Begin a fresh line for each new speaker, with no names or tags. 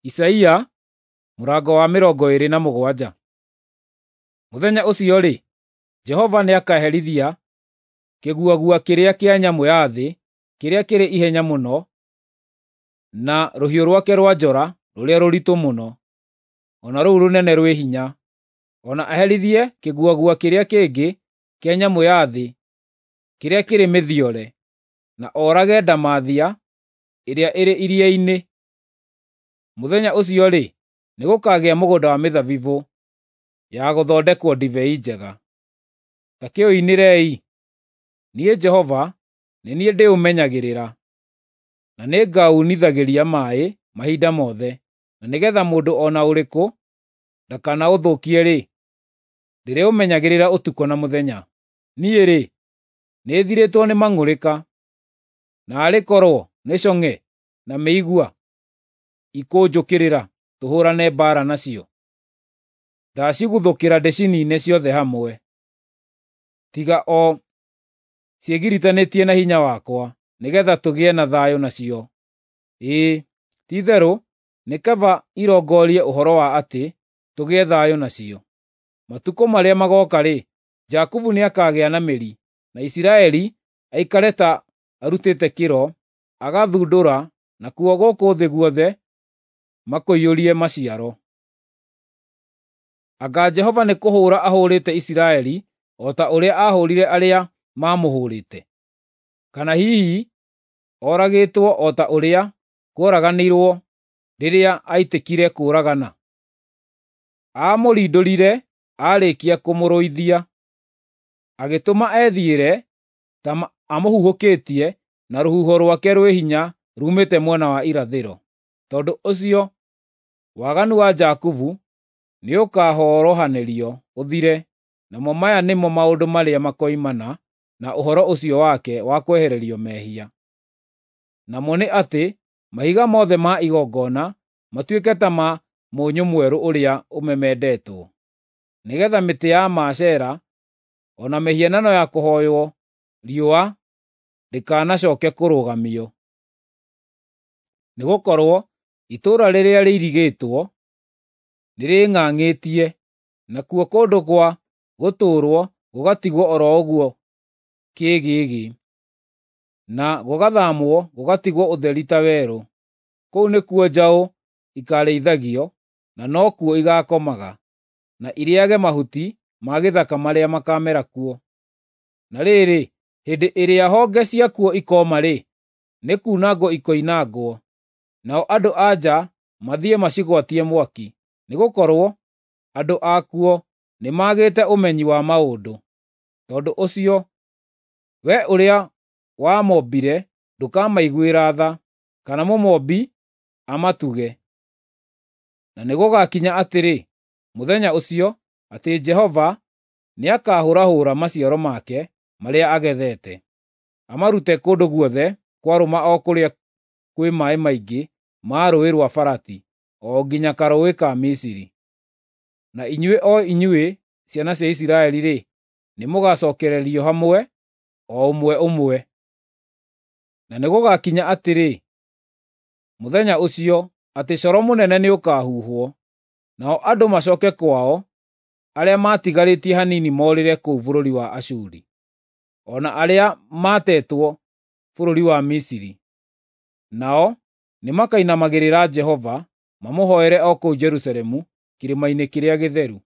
Isaia mũrango wa 27. Mũthenya ũcio-rĩ, Jehova nĩakaherithia kĩguagua kĩrĩa kĩa nyamũ ya thĩ kĩrĩa kĩrĩ ihenya mũno, na rũhiũ rwake rwa njora rũrĩa rũritũ mũno, o na rũu rũnene rwĩ hinya, o na aherithie kĩguagua kĩrĩa kĩngĩ kĩa nyamũ ya thĩ kĩrĩa kĩrĩ mĩthiore, na oorage ndamathia ĩrĩa ĩrĩ iria-inĩ. Mũthenya ũcio-rĩ, nĩgũkagĩa mũgũnda wa mĩthabibũ ya gũthondekwo ndibei njega. Ta kĩũinĩrei! Niĩ Jehova nĩ niĩ ndĩũmenyagĩrĩra, na nĩngaunithagĩria maaĩ mahinda mothe, na nĩgeetha mũndũ o na ũrĩkũ ndakanaũthũkie-rĩ, ndĩrĩũmenyagĩrĩra ũtukũ na mũthenya. Niĩ-rĩ, nĩthirĩtwo nĩ mang'ũrĩka, naarĩ korwo nĩ cong'e na mĩigua ikũnjũkĩrĩra tũhũũrane mbaara nacio! Ndaciguthũkĩra ndĩciniine ciothe hamwe, tiga o ciĩgiritanĩtie na hinya wakwa, nĩgeetha tũgĩe na thayũ nacio. Ĩĩ, ti-itherũ nĩ kaba irongorie ũhoro wa atĩ tũgĩe thayũ nacio. Matukũ marĩa magooka-rĩ, Jakubu nĩakagĩa na mĩri, na Isiraeli aikare ta arutĩte kĩro, agathundũra, nakuo gũkũ thĩ guothe makũiyũrie maciaro. Anga Jehova nĩkũhũũra ahũũrĩte Isiraeli o ta ũrĩa aahũũrire arĩa maamũhũũrĩte? Kana hihi oragĩtwo o ta ũrĩa kworaganirwo rĩrĩa aitĩkire kũũragana? Aamũrindũrire aarĩkia kũmũrũithia, agĩtũma ethiĩre ta amũhuhũkĩtie na rũhuho rwake rwĩ hinya ruumĩte mwena wa irathĩro. Tondũ ũcio waganu wa Jakubu nĩũkahorohanĩrio ũthire, namo maya nĩmo maũndũ marĩa makoimana na ũhoro ũcio wake wa kwehererio mehia. Namo nĩ atĩ mahiga mothe ma igongona matuĩke ta ma mũnyũ mwerũ ũrĩa ũmemendetwo, nĩgeetha mĩtĩ ya Maashera o na mĩhianano ya kũhooywo riũa ndĩkanacooke kũrũgamio. Nĩgũkorwo itũũra rĩrĩa rĩirigĩtwo nĩrĩng'ang'ĩtie, nakuo kũndũ gwa gũtũũrwo gũgatigwo o ro ũguo kĩĩgĩgĩ, na gũgathaamwo gũgatigwo ũtheri ta werũ. Kũu nĩkuo njaũ ikaarĩithagio, na nokuo igaakomaga, na irĩĩage mahuti ma gĩthaka marĩa makaamera kuo. Na rĩrĩ, hĩndĩ ĩrĩa honge ciakuo ikooma-rĩ, nĩkunangwo ikoinangwo, nao andũ-a-nja mathiĩ macigwatie mwaki, nĩgũkorwo andũ akuo nĩmagĩte ũmenyi wa maũndũ. Tondũ ũcio, we ũrĩa wamombire ndũkamaiguĩra tha, kana Mũmombi amatuge. Na nĩgũgakinya atĩrĩ, mũthenya ũcio, atĩ Jehova nĩakahũrahũra maciaro make marĩa agethete, amarute kũndũ guothe kwarũma o kũrĩa kwĩ maaĩ maingĩ ma Rũũĩ rwa Farati, o nginya karũũĩ ka Misiri. Na inyuĩ o inyuĩ ciana cia Isiraeli-rĩ, nĩmũgacookererio hamwe, o ũmwe ũmwe. Na nĩgũgakinya atĩrĩ, mũthenya ũcio, atĩ coro mũnene nĩũkahuhwo, nao andũ macooke kwao arĩa maatigarĩtie hanini moorĩre kũu bũrũri wa Ashuri, o na arĩa maatetwo bũrũri wa Misiri. Nao nĩmakainamagĩrĩra Jehova mamũhooere o kũu Jerusalemu kĩrĩma-inĩ kĩrĩa gĩtheru.